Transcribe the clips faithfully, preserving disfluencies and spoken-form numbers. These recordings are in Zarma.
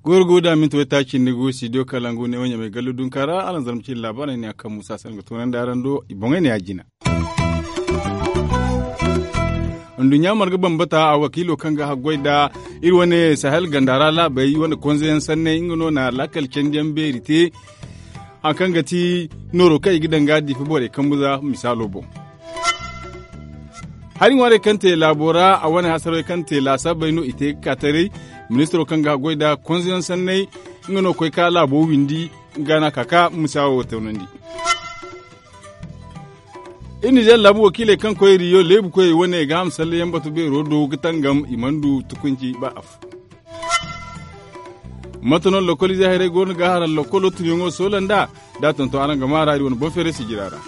Goy ra go da minti waytaaci nda gu studio kalangu ne wo ɲamay gallu dunka ra araŋ zarma cine laabaarey ne a kaŋ muusa se nga toonandi araŋ do i boŋey ne ya jina. Nduɲɲa marga bambata a wakiilo kaŋ ga haggoy nda iri wane sahel ganda ra laabey wane konze yaŋ sanney nga no na laakal candi yaŋ beeri te. Hari kaŋ ga ti nooro kaŋ i ga daŋ ga diifa borey kambu za misaalo boŋ. Hari ŋwaarey kaŋ te laabo ra a wane hasarey kaŋ te laasaabey no i te ga ka taray. Ministiro kaŋ ga haggoy nda konze yaŋ sanney nga no koy ka laabo windi. Nga no a ka ka misaawo toonandi. Iri nizeer laabu wakiiley kaŋ koy riyo leebu koyey wane ga ham sallayaŋ batu beero do ga tangam i mana du tukunci ba afo. Mate no lokolize hayrey go no ga hara lokolo tunyaŋo soola nd'a da a tonton araŋ ga maa ra iri wane boŋ feeray sijira ra.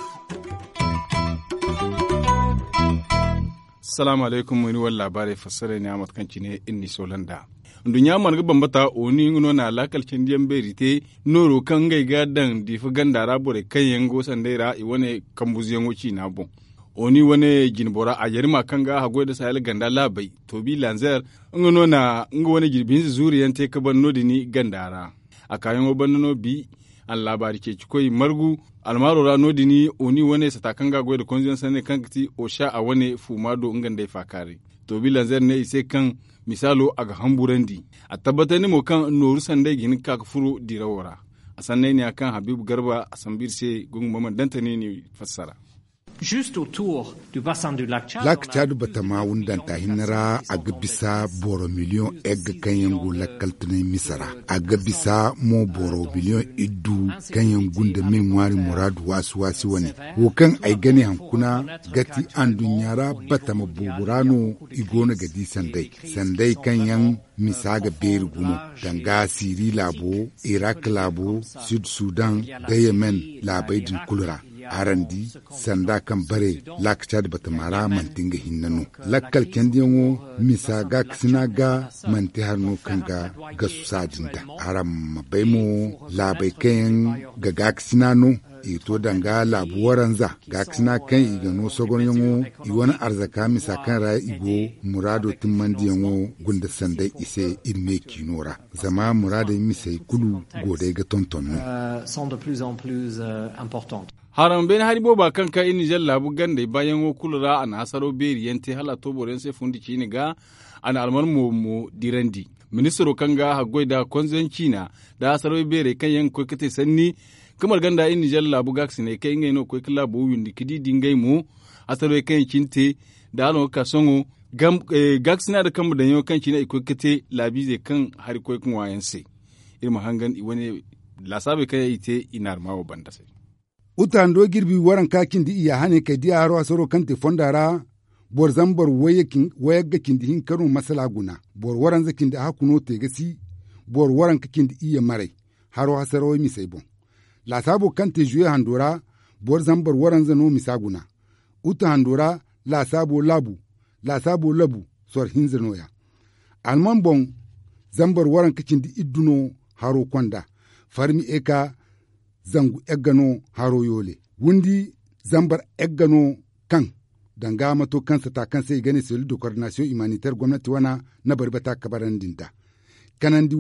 Salaamu alaykum iri wane laabaarey fassarey ne a mate kaŋ cine iri n'i soola nd'a. Nduɲɲa mana ga bambata oni nga no na laakal candiyaŋ beeri te nooro kaŋ ngey ga daŋ diifa ganda ra borey kaŋ yaŋ go sanday ra i wane kambuzuyaŋo ciina boŋ. Oni wane jinbora a jarima kaŋ ga haggoy nda sahel ganda laabey toobi lanzeer nga no na nga wane jirbi hinza zuuriyaŋ te ka ban no- din ganda ra. A kaayaŋo banda no bi a na laabaari ceeci koy margu almaaro ra no- din. Oni wane sata kaŋ ga goy nda konziyaŋ sanney kaŋ ga ti osha a wane fuuma do nga nd'ey faakaaray. Toobi lanzeer ne i se kaŋ misaalo a ga hamburandi. A tabbatandi mo kaŋ nooru sandey ga hin ga ka ga furo dirawo ra. A sanney ne ya kaŋ habiibu garba a sambu iri se gungu ma mana dantani ni fassara. Laaka caadu batama wundanta hinne ra a ga bisa boro miliyoŋ egga kaŋ yaŋ go lakkal tunay misa ra. A ga bisa mo boro miliyoŋ iddu kaŋ yaŋ gunda me ŋwaari muraadu waasi waasi wane. Wo kaŋ ay ga ne hankuna ga ti anduɲɲa ra batama boobo ra no i go no ga di sanday sanday kaŋ yaŋ misa ga beeri gumo danga siri laabo, irak laabo, sud sudan, da yemen laabey din kulu ra. Araŋ di sanda kaŋ bare laaka caadi batama ra manti nga hinne no. Lakkal candiyaŋo misa gaakasina ga manti hari no kaŋ ga gasu saadin da. Araŋ ma bay mo laabey kaŋ yaŋ ga gaakasina no i ga to danga laabu waranza gaakasina kaŋ i ga no sogonyaŋo i wane arzaka misa kaŋ ra i go muraado timmandiyaŋo gunda sanday i se iri me ciino ra. Zama muraadey misey kulu go day ga tonton no. Haraŋ beene hari booba kaŋ ka iri nizer laabu gandey baayaŋo kulu ra a na hasaro beeri yaŋ te hala a to boro yaŋ se fundi ciine ga. A na alman mo mo dirandi ministiro kaŋ ga haggoy nda konzo yaŋ ciina nda hasaro beerey kaŋ yaŋ ga koy ga te sanni ga marga nda iri nizer laabu gaakasiney kaŋ ngey no ga koy ga laabo windi ga di da ngey mo hasaro kaŋ yaŋ cine te. Nda hala no ga ka sohõ gaakasina nda kambe daŋyaŋo kaŋ cine i koy ga te laabiizey kaŋ hari koy ga ŋwa yaŋ se. Iri ma hangan i wane laasaabey kaŋ yaŋ i te i naarma wo banda se. Uta hando jirbi waranka cindi iyya hane kay diya haro hasaro kaŋ te fonda ra. Boro zambar wayagga cindi hinka no masala guna. Boro waranza cindi ahakku no te ga si. Boro waranka cindi iyya maray haro hasarawey misey boŋ. Laasaabo kaŋ te zuwe hando ra boro zambar waranza no misa guna. Uta hando ra laasaabo laabu laasaabo labu sor hinza no- ya. Alman boŋ zambar waranka cindi iddu no haro konda. Farmi eka zangu egga no haro yoole. Windi zambar egga no kaŋ danga mato kaŋ sata kaŋ se i ga ne selu de kordinasiyoŋ imaniter gomnati wana na bari bata kabarandi nda kanandi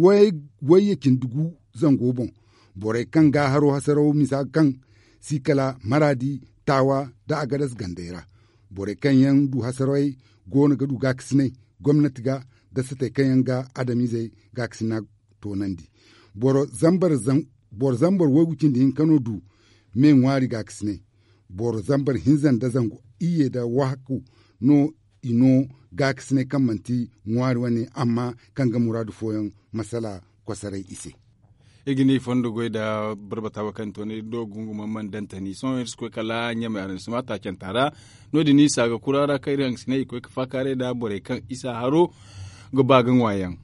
wayye cindi gu zango boŋ. Borey kaŋ ga haro hasaraw misa kaŋ si kala maraadi taawa nda agadas gandey ra. Borey kaŋ yaŋ du hasarawey go no ga du gaakasinay gomnati ga nda satey kaŋ yaŋ ga adamiizey gaakasina toonandi. Boro zambar waygu cindi hinka no du me ŋwaari gaakasinay. Boro zambar hinza nda zangu iyye nda wahakku no i no gaakasinay kaŋ manti ŋwaari wane amma kaŋ ga muraadu fooyaŋ masala kosoray i se. Iri ga ni fondo goy nda barbata wo kaŋ to ne iri do gunguma mana dantani sohõ iri si koy kala ɲamay araŋ si ma taacanta ra. No- din isa ga kura ra kaŋ iri haŋ ga si ne i koy ga faakaaray nda borey kaŋ isa haro ga ba ga ŋwa yaŋ.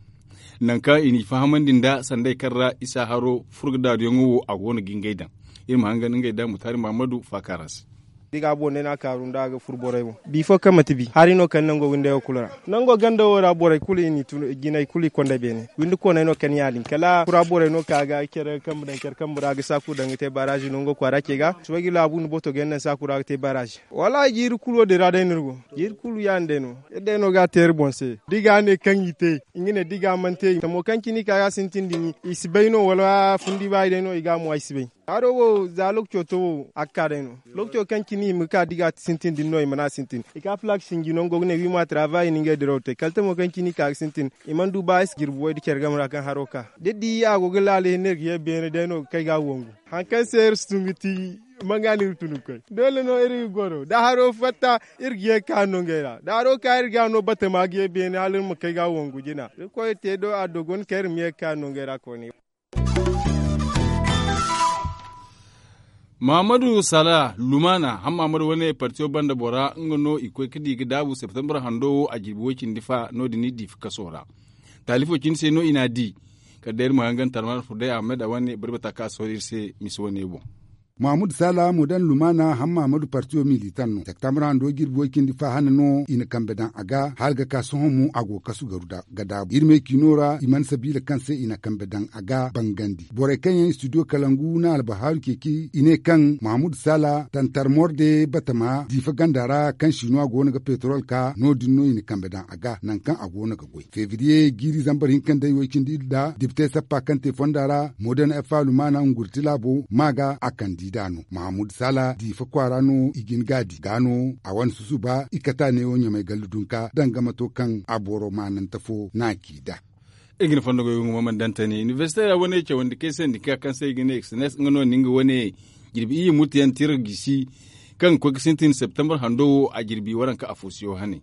Nangu kaŋ i n'i fahamandi nda sanday kaŋ ra isa haro furgadaariyaŋo wo a go no ga ngey daŋ. Iri ma hangan ngey nda mutaari mahammadu faakaara se. Da i ga a boŋ day no a kaaru nda a ga furu borey boŋ bi fo kaŋ manti bi hari no kala nango windey wo kulu ra. Nango ganda wo ra borey kulu i n'i tun jinay kulu i konda beene windi kooney no kala ya- din kala kura borey no ka ga care kambe daŋ care kambe ra ga saaku daŋ ga te baaraazi nango kwaara ce ga suba ga i laabu nda boto ga yaŋ daŋ saaku ra ga te baaraazi. Wallaahi jiiri kulu wo- din ra day no iri go. Jiiri kulu ya- din day no iri day no ga a te iri boŋ se da i ga a ne kaŋ i te. Nga ne da i ga a mana te tamo kaŋ cine i ka ga a sintin din i si bay no wala fundi baayi day no i ga a mo ay si bay. Haro wo za lookaco to wo a ga ka day no. Lookaco kaŋ cine i ma ka da i ga a sintin din no i mana a sintin i ka palaak sinji nango ga ne wi ma taraabayi na ngey diraw te kala tamo kaŋ cine i ka ga sintin. I mana du ba ay si jirbi way da care game ra kaŋ haro ka da di a go ga laala hinne iri ga ye beene day no ga kay ga a wangu. Hari kaŋ se iri si tun ga ti manga no iri tun ga koy doole no iri ga goro da haro fatta. Iri ga ye ga ka no ngey ra da haro ka iri ga no batama ga ye beene hala iri ma kay ga a wangu jina iri koy te do a dogon kaŋ iri ma ye ga ka no ngey ra koyne. Mahammadu sala lumana hammaamadu wane partiyo banda bora nga no i koy ga di ga daabu septembre hando wo a jirbi way cindi fa no- din i diifa kaso ra. Taalifo cindi se no i n'a di. Kala day iri ma hangan tarmar furday ahmed a wane bari bata kaŋ a sohõ iri se misa wane boŋ. Mahammadu sala modern lumana hammaamadu partiyo militan no septembre hando jirbi way cindi fa hane no i na kambe daŋ a ga hala ga ka sohõ mo a go ga kasu garu ga daabu iri me ciino ra i mana sabiila kaŋ se i na kambe daŋ a ga bangandi borey kaŋ yaŋ studio kalangu na albahaaru ceeci i ne kaŋ mahammadu sala tantar morde batama diifa ganda ra kaŋ siino a go no ga petrol ka no- din no i na kambe daŋ a ga nangu kaŋ a go no ga goy febriye jiiri zambar hinka nda i way cindi iri nda dibitey sappa kaŋ te fonda ra modern f a lumana ngurti laabo ma ga a kandida no mahammadu sala diifa kwaara no i jin ga a di ga no a wane susuba i kata neewo ɲamay gallu dunka danga mato kaŋ a boro maanante fo no a ci da. Iri ga ni fondo goy wungu ma mana daŋ tani inibersite ra wane cawandi kay sendika kaŋ se i ga ne exenes nga no ni nga wane jirbi iyye murti yaŋ tira gisi kaŋ ga koy ga sintin septembre hando wo a jirbi waranka afo siyo hane.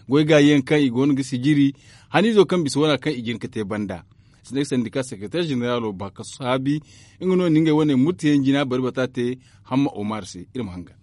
Goy gaayi yaŋ kaŋ i go no ga sijiri haniizo kaŋ bisa wana kaŋ i jin ga te banda. Sendika sekereteer jeneralo ba ka saabi nga no ni ngey wane murti yaŋ jina bari bata te. Hamma omar se iri ma hangan.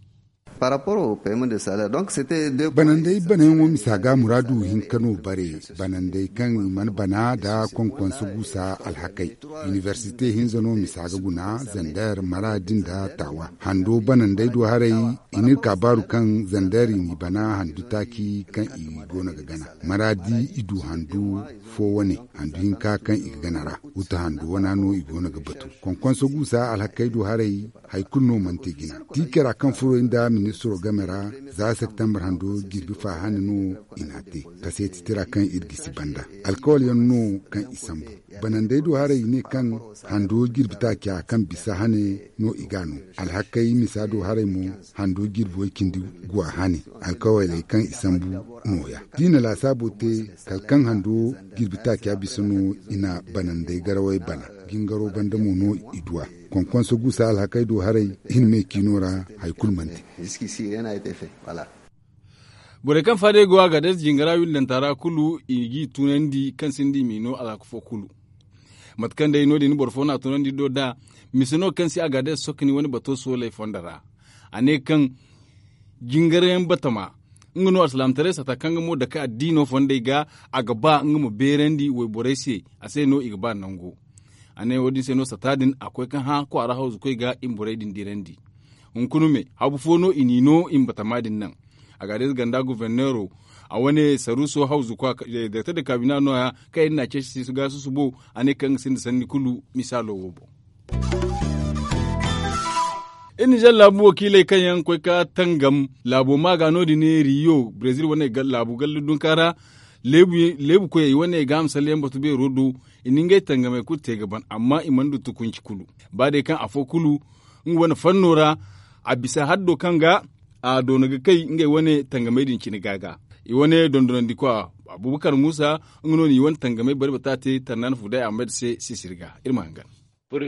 Banandey banayaŋo misa ga muraadu hinka no bare banandey kaŋ i mana bana nda konkonso guusa alhakey. Inibersite hinza no misa ga guna zander maraadi nda taawa hando banandey do haray. I n'iri ka baaru kaŋ zander i n'i bana handu taaci kaŋ i go no ga gana maraadi i du handu fo wane handu hinka kaŋ i ga gana ra. Wuta handu wana no i go no ga batu konkonso guusa alhakey do haray. Hari kulu no mana te jina tiikera kaŋ furo nda ministiro game ra za septembre hando jirbi fa hane no i n'a te. Kaseeti tira kaŋ iri gisi banda alkawal yaŋ no kaŋ i sambu banandey do haray i ne kaŋ hando jirbi taaca kaŋ bisa hane no i ga no. Alhakey misa do haray mo hando jirbi way cindi guwa hane. Alkawaley kaŋ i sambu nooya da i na laasaabo te kala kaŋ hando jirbi taaca bisa no i na banandey garawey bana. Jingaro banda mo no i du a. Konkonso guusa alhakey do haray i na me ciino ra hari kulu mana te. Borey kaŋ faadey go a ga day jingara windanta ra kulu i g'i tunandi kaŋ sinda i m'i no alhaka fo kulu. Mate kaŋ day no- din boro fo no a tunandi do da mise no kaŋ se a ga day sokoni wane bato sooley fondo ra. A ne kaŋ jingarayaŋ batama nga no alsilaamataray sata kaŋ ga mo dake addiino fondey ga a ga ba nga ma beerandi wayborey se. A se no i ga ba nango. A ne wo- din se no sata din a koy kaŋ hã kwaara hawzukoy ga i ma borey din dirandi. Hunkuna me habu fo no i n'i no i ma batama din naŋ. A ga day ganda guverneero a wane saruuso hawzukwa direkter de kabina nooya kaŋ iri n'a ceeci si ga susubo. A ne kaŋ ga sinda sanni kulu misaalo wo boŋ. Iri nizer laabu wakiiley kaŋ yaŋ koy ka tangam laabo maaga no- din riyo brezil wane laabu gallu dunka ra. Leebu koyey wane ga a ma salleyaŋ batu beero do. I na ngey tangamey kulu te ga ban amma i mana du tukunci kulu. Ba day kaŋ afo kulu nga wane fanno ra a bisa haddo kaŋ ga a doona ga kay ngey wane tangamey din cine ga ga. I wane dondonandikwa abubakar muusa nga no na i wane tangamey bari bata te tarnan fuday ahmed se sisiri ga. Iri ma hangan. Da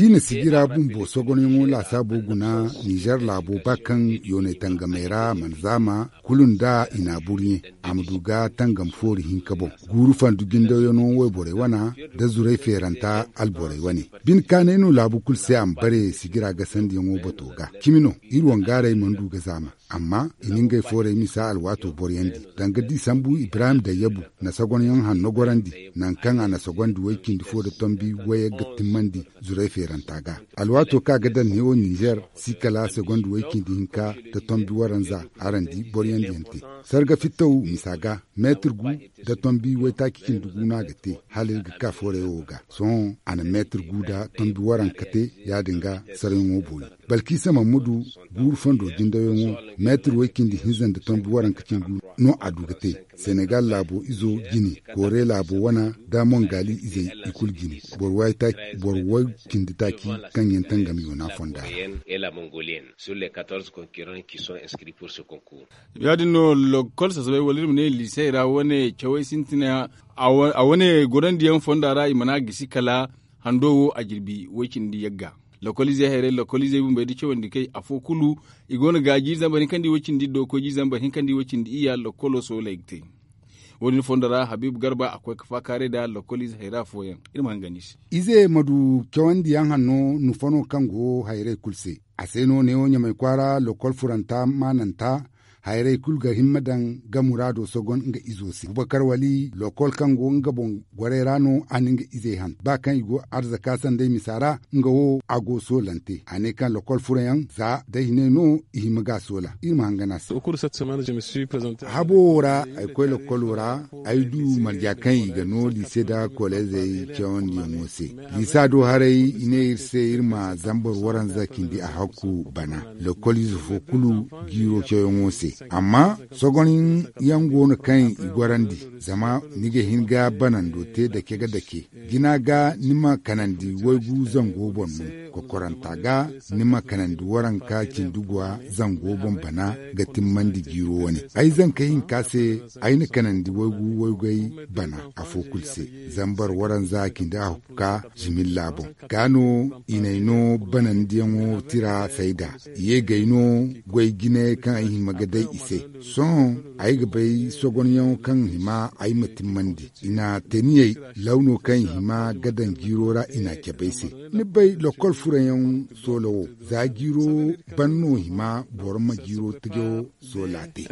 i na sijira bumbo sogonyaŋo laasaabo guna nizer laabo ba kaŋ yoonay tangamey ra mana zaama kulu nda i naaburɲe a ma du ga tangam foori hinka boŋ. Guuru fandu jindawyaŋo wayborey wana nda zuray feeranta alborey wane. Bine kaanay no laabu kulu se a ma bare sijira gasandiyaŋo bato ga cimi no. Iri wangaaray mana du ga zaama. Amma i na ngey foorey misa alwaato boroyandi. Danga da i sambu ibrahim dayyabu na sogonyaŋ hanno gorandi, nangu kaŋ a na sogondi way-cindi fo nda tombi wayey ga timmandi zuray feeranta ga. Alwaato kaŋ a ga daŋ neewo ninzeer si kala sogondi way-cindi hinka nda tombi waranza. Araŋ di boroyandiyaŋ te sarga fittaw misa ga meetir gu nda tombi waytaaci cindi gu no a ga te. Hala iri ga ka fooray wo ga sohõ a na meetir gu nda tombi waranka te. Ya-din ga sarayaŋo boori balkisa mamudu guuru fondo jindayaŋo meetir way-cindi hinza nda tombi waranka cindi gu no a du ga te. Senegal laabo izo jine, koore laabo wana, da mongali izey i kulu jine. Boro way-cindi taaci kaŋ yaŋ tangam i wana fonda ra. Ya-din no lokol sasabay wala iri ma ne liisey ra wane cawey sintina a wane gorandiyaŋ fonda ra i mana gisi kala hando wo a jirbi way-cindi yagga. Lokol izey hayray lokol izey bumbey da cawandi kay afo kulu i go no ga jiiri zambar hinka nda i way-cindi do koy jiiri zambar hinka nda i way-cindi iyya lokolo sooley ga te. Wo- din fondo ra habiibu garba a koy ga faakaaray nda lokol ize hayra fooyaŋ. Iri ma hangan i se. Ize ma du cawandiyaŋ hanno nufano kaŋ go hayray kulu se. A se no neewo ɲamay kwaara lokol furanta maananta. Hayray kulu ga himma daŋ ga muraado sogon nga izo se bubakar wali lokol kaŋ go nga boŋ goray ra no a na nga izey han ba kaŋ i go arzaka sanday misa ra. Nga wo a go soolante a ne kaŋ lokol furayaŋ za day hinay no i hima ga soola. Iri ma hangan a se. Habo wo ra ay koy lokolo ra ay du marja kaŋ i ga no liise nda koleezey cawandiyaŋo se. Liisa do haray i ne iri se iri ma zambar waranza cindi a hakku bana lokol ize fo kulu jiiro cawyaŋo se. Amma sogonyaŋ go no kaŋ i gorandi zama ni ga hin ga banando te dake ga dake. Jina ga ni ma kanandi waygu zango boŋ no. Kokoranta ga ni ma kanandi waranka cindi guwa zango boŋ bana ga timmandi jiiro wane. Ay zanka hinka se ay na kanandi waygu waygay bana afo kulu se. Zambar waranza cindi a hukka zimilla boŋ ga no i n'ay no banandiyaŋo tira sayda. I ye g'ay no goy jinayey kaŋ ay hima ga day i se. Sohõ ay ga bay sogonyaŋo kaŋ hima ay ma timmandi i na teniyey lawno kaŋ i hima ga daŋ jiiro ra i na cabe ay se. Ni bay lokol furayaŋ soola wo za jiiro ban no hima boro ma jiiro tajo soola te.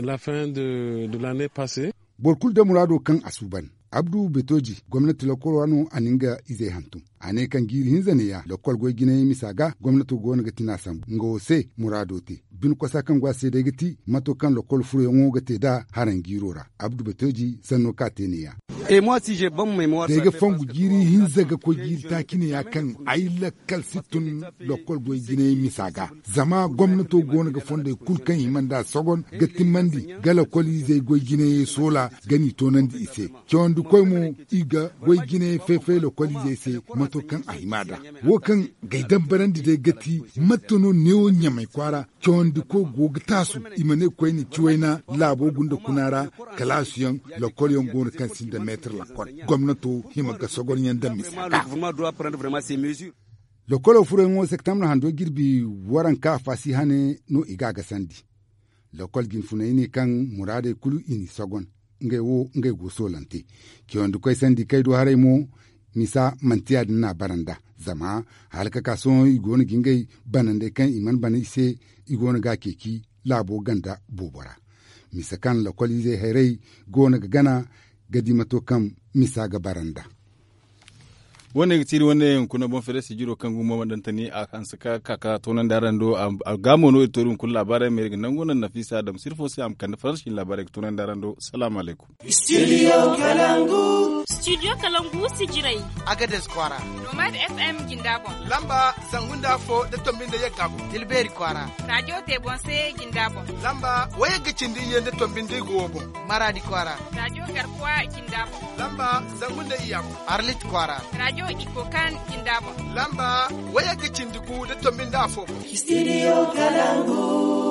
Boro kulu da muraado kaŋ a suuban. Abdu betoji gomnati lokol ra no a na nga izey hantum. A ne kaŋ jiiri hinza neeya lokol goy jinayey misa ga gomnato go no ga tina sambu nga wo se muraado te. Bine kosa kaŋ go a se day ga ti mato kaŋ lokol furoyaŋo ga te nd'a haraŋ jiiro ra. Abdu betoji sanno kaŋ a te neeya. Day ga fongu jiiri hinza ga koy jiiri taaci neeya kaŋ ay lakkal si tun lokol goy jinayey misa ga. Zama gomnato go no ga fondey kulu kaŋ hima nd'a sogon ga timmandi ga lokol izey goy jinayey soola ga n'i toonandi i se. Cawandikoy mo i ga goy jinayey fay-fay lokol izey se mato kaŋ a hima nd'a. Wo kaŋ g'ay dambarandi day ga ti mate no neewo ɲamay kwaara cawandikoy go ga taasu i ma ne koyne ciwayna laabo gunda kuna ra. Kalaasuyaŋ lokol yaŋ go no kaŋ sinda meetir lokol gomnato hima ga sogonyaŋ daŋ misa ga. Lokolo furayaŋo septembre hando jirbi waranka faasi hane no i ga a gasandi. Lokol jinfunay ne kaŋ muraadey kulu i n'i sogon ngey wo ngey go soolante. Cawandikoy sandi kaŋ ay du haray mo misa manti ya-din no a bara nd'a. Zama hala ka ka sohõ i go no ga ngey banandey kaŋ i mana bana i se i go no ga a ceeci laabo ganda boobo ra. Misa kaŋ lokol izey hayray go no ga gana ga di mato kaŋ misa ga bara nd'a. Wo- ne ga ti iri wane hunkuna boŋ feere sijiro kaŋ gumo ma daŋ tani a hanse ka ka ka toonandi araŋ do. A ga mo no iri to iri hunkuna laabaarey ma iri ga nangu naŋ nafiisa dam sirfo se a ma kande faransi cine laabaarey ga toonandi araŋ do. Salaamu alaykum. Studio kalangu. Studio kalangu sijirey. Agades kwaara. Nomad fm jinda boŋ. Lamba zangu nda afo nda tombi nda yagga boŋ. Tilbeeri kwaara. Rajo te boŋ se jinda boŋ. Lamba wayagga cindi iyye nda tombi nda igo wo boŋ. Maradi kwaara. Rajo garkuwa jinda boŋ. Lamba zangu nda iyya boŋ. Arlit kwaara. Rajo ikokan jinda boŋ. Lamba wayagga cindi gu nda tombi nda afo boŋ. Studio kalangu.